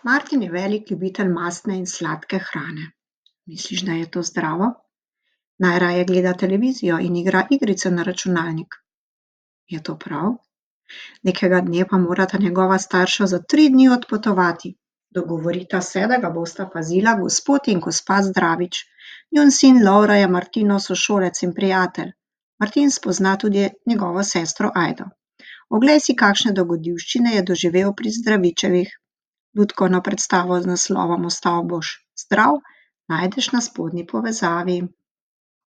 Martin je velik ljubitelj mastne in sladke hrane. Misliš, da je to zdravo? Najraje gleda televizijo in igra igrice na računalnik. Je to prav? Nekega dne pa morata njegova starša za 3 dni odpotovati. Dogovorita se, da ga bosta pazila gospod in gospa Zdravič. Njun sin Lovro je Martinov sošolec in prijatelj. Martin spozna tudi njegovo sestro Ajdo. Oglej si, kakšne dogodivščine je doživel pri Zdravičevih. Lutkovno predstavo z naslovom Ostal boš zdrav najdeš na spodnji povezavi.